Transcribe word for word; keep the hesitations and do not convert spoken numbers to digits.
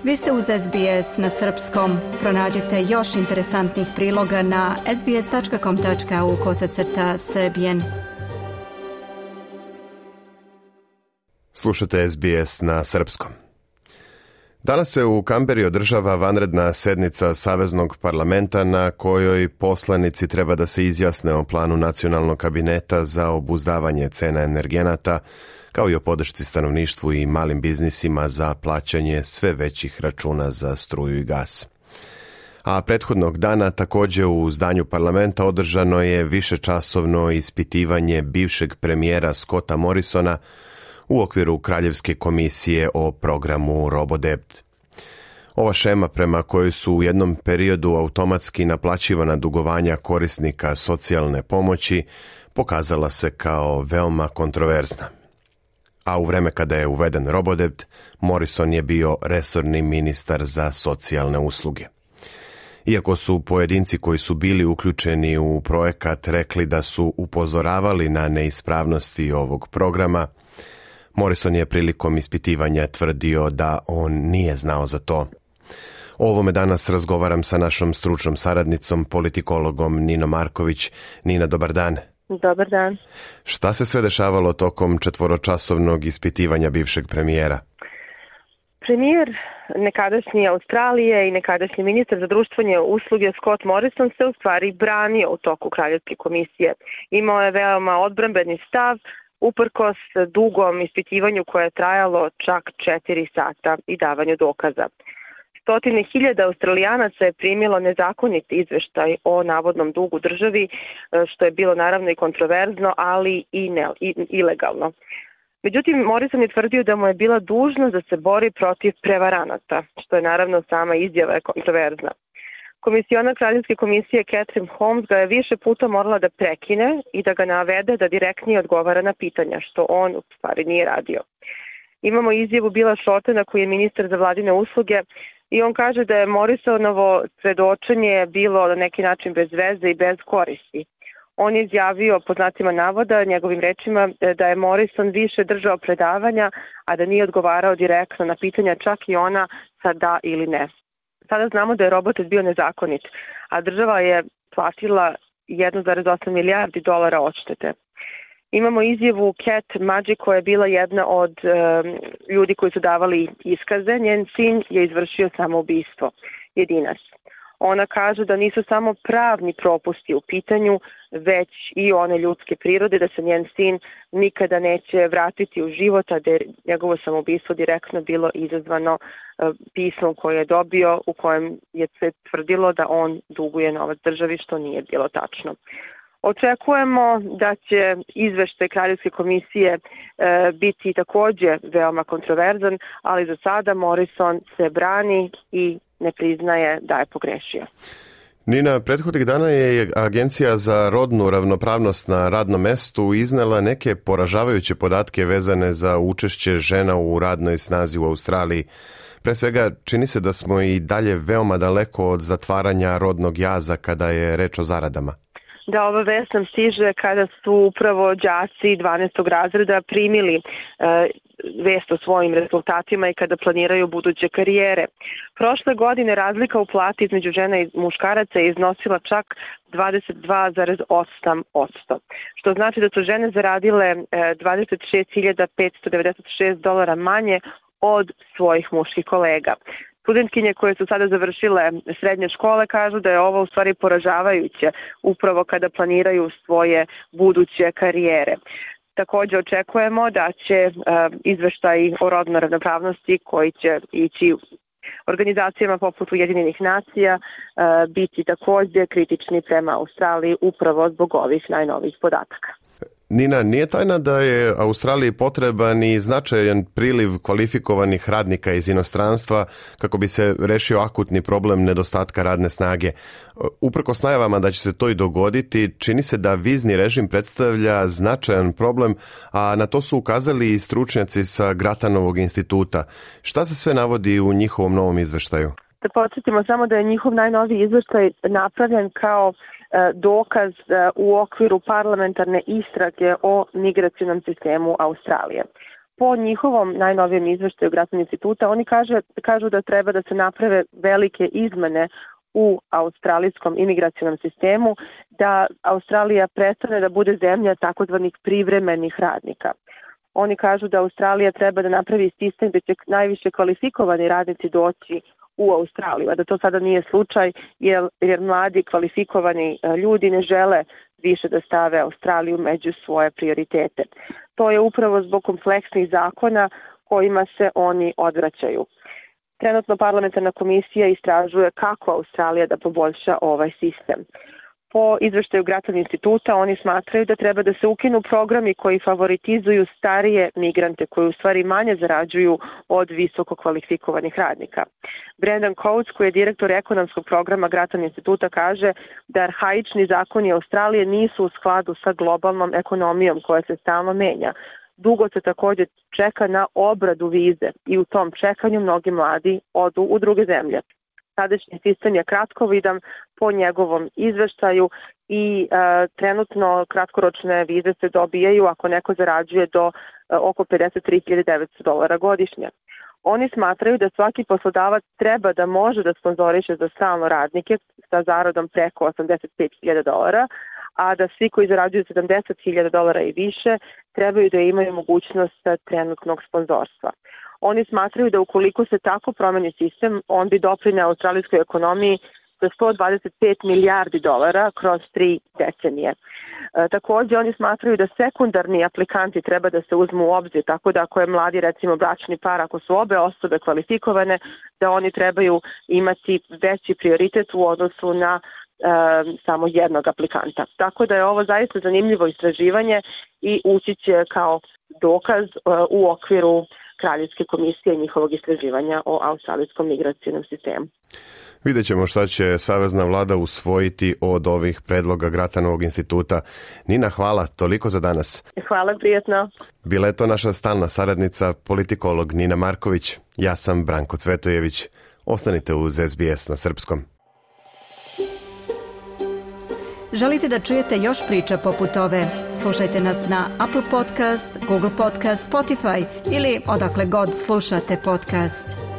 Vi ste uz S B S na srpskom. Pronađite još interesantnih priloga na sbs.com.au kosacrta srbijen. Slušate S B S na srpskom. Danas se u Kamberi održava vanredna sednica Saveznog parlamenta na kojoj poslanici treba da se izjasne o planu nacionalnog kabineta za obuzdavanje cena energenata, kao i o podršci stanovništvu i malim biznisima za plaćanje sve većih računa za struju i gas. A prethodnog dana također u zdanju parlamenta održano je višečasovno ispitivanje bivšeg premijera Scotta Morrisona u okviru Kraljevske komisije o programu RoboDebt. Ova šema prema kojoj su u jednom periodu automatski naplaćivana dugovanja korisnika socijalne pomoći pokazala se kao veoma kontroverzna. A u vreme kada je uveden RoboDebt, Morrison je bio resorni ministar za socijalne usluge. Iako su pojedinci koji su bili uključeni u projekat rekli da su upozoravali na neispravnosti ovog programa, Morrison je prilikom ispitivanja tvrdio da on nije znao za to. O ovome danas razgovaram sa našom stručnom saradnicom, politikologom Ninom Marković. Nina, dobar dan. Dobar dan. Šta se sve dešavalo tokom četvoročasovnog ispitivanja bivšeg premijera? Premijer nekadašnje Australije i nekadašnji ministar za društvene usluge Scott Morrison se u stvari branio u toku Kraljevske komisije. Imao je veoma odbrambeni stav, uprkos dugom ispitivanju koje je trajalo čak četiri sata i davanju dokaza. Stotine hiljada Australijanaca je primilo nezakonit izveštaj o navodnom dugu državi, što je bilo naravno i kontroverzno, ali i, ne, i ilegalno. Međutim, Morrison je tvrdio da mu je bila dužnost da se bori protiv prevaranata, što je naravno sama izjava je kontroverzna. Komisionar Kraljevske komisije Catherine Holmes ga je više puta morala da prekine i da ga navede da direktnije odgovara na pitanja, što on u stvari nije radio. Imamo izjavu Billa Shortena koji je ministar za vladine usluge i on kaže da je Morrisonovo svedočenje bilo na neki način bez veze i bez koristi. On je izjavio, po znacima navoda, njegovim rečima, da je Morrison više držao predavanja, a da nije odgovarao direktno na pitanja, čak i ona sa da ili ne. Sada znamo da je RoboDebt bio nezakonit, a država je platila jedan zarez osam milijardi dolara odštete. Imamo izjavu Cat Magic koja je bila jedna od um, ljudi koji su davali iskaze. Njen sin je izvršio samoubistvo, jedinac. Ona kaže da nisu samo pravni propusti u pitanju, već i one ljudske prirode, da se njen sin nikada neće vratiti u život, a da je njegovo samoubistvo direktno bilo izazvano uh, pismom koje je dobio, u kojem je se tvrdilo da on duguje novac državi, što nije bilo tačno. Očekujemo da će izveštaj Kraljevske komisije e, biti također veoma kontroverzan, ali za sada Morrison se brani i ne priznaje da je pogrešio. Nina, prethodnih dana je Agencija za rodnu ravnopravnost na radnom mestu iznela neke poražavajuće podatke vezane za učešće žena u radnoj snazi u Australiji. Pre svega, čini se da smo i dalje veoma daleko od zatvaranja rodnog jaza kada je reč o zaradama. Da, ova vest nam stiže kada su upravo đaci dvanaestog razreda primili e, vest o svojim rezultatima i kada planiraju buduće karijere. Prošle godine razlika u plati između žena i muškaraca je iznosila čak dvadeset dva zarez osam posto, što znači da su žene zaradile e, dvadeset šest hiljada petsto devedeset šest dolara manje od svojih muških kolega. Studentkinje koje su sada završile srednje škole kažu da je ovo u stvari poražavajuće upravo kada planiraju svoje buduće karijere. Također očekujemo da će uh, izveštaj o rodnoj ravnopravnosti koji će ići organizacijama poput Ujedinjenih nacija uh, biti također kritični prema Australiji upravo zbog ovih najnovijih podataka. Nina, nije tajna da je Australiji potreban i značajan priliv kvalifikovanih radnika iz inostranstva kako bi se rešio akutni problem nedostatka radne snage. Uprkos najavama da će se to i dogoditi, čini se da vizni režim predstavlja značajan problem, a na to su ukazali i stručnjaci sa Gratanovog instituta. Šta se sve navodi u njihovom novom izveštaju? Da podsjetimo samo da je njihov najnoviji izveštaj napravljen kao dokaz u okviru parlamentarne istrage o migracionom sistemu Australije. Po njihovom najnovijem izveštaju Grattan instituta, oni kaže, kažu da treba da se naprave velike izmene u australijskom imigracionom sistemu, da Australija prestane da bude zemlja takozvanih privremenih radnika. Oni kažu da Australija treba da napravi sistem gde će najviše kvalifikovani radnici doći u Australiju, a da to sada nije slučaj jer, jer mladi kvalifikovani ljudi ne žele više da stave Australiju među svoje prioritete. To je upravo zbog kompleksnih zakona kojima se oni odvraćaju. Trenutno parlamentarna komisija istražuje kako Australija da poboljša ovaj sistem. Po izveštaju Grattan instituta oni smatraju da treba da se ukinu programi koji favoritizuju starije migrante koji u stvari manje zarađuju od visoko kvalifikovanih radnika. Brendan Coates, koji je direktor ekonomskog programa Grattan instituta, kaže da arhaični zakoni Australije nisu u skladu sa globalnom ekonomijom koja se stalno menja. Dugo se također čeka na obradu vize i u tom čekanju mnogi mladi odu u druge zemlje. Sadašnji sistem je kratkovidan po njegovom izveštaju i e, trenutno kratkoročne vize se dobijaju ako neko zarađuje do e, oko pedeset tri hiljade devetsto dolara godišnje. Oni smatraju da svaki poslodavac treba da može da sponzoriše za stalno radnike sa zaradom preko osamdeset pet hiljada dolara, a da svi koji zarađuju sedamdeset hiljada dolara i više trebaju da imaju mogućnost trenutnog sponzorstva. Oni smatraju da ukoliko se tako promeni sistem, on bi doprineo australijskoj ekonomiji za sto dvadeset pet milijardi dolara kroz tri decenije. E, također oni smatraju da sekundarni aplikanti treba da se uzmu u obzir, tako da ako je mladi recimo bračni par, ako su obe osobe kvalifikovane, da oni trebaju imati veći prioritet u odnosu na e, samo jednog aplikanta. Tako da je ovo zaista zanimljivo istraživanje i ući će kao dokaz e, u okviru Kraljevske komisije i njihovog istraživanja o australijskom migracijnom sistemu. Vidjet ćemo šta će savezna vlada usvojiti od ovih predloga Grattanovog instituta. Nina, hvala, toliko za danas. Hvala, prijatno. Bila je to naša stalna saradnica, politikolog Nina Marković. Ja sam Branko Cvetojević. Ostanite uz S B S na srpskom. Želite da čujete još priča poput ove? Slušajte nas na Apple Podcast, Google Podcast, Spotify ili odakle god slušate podcast.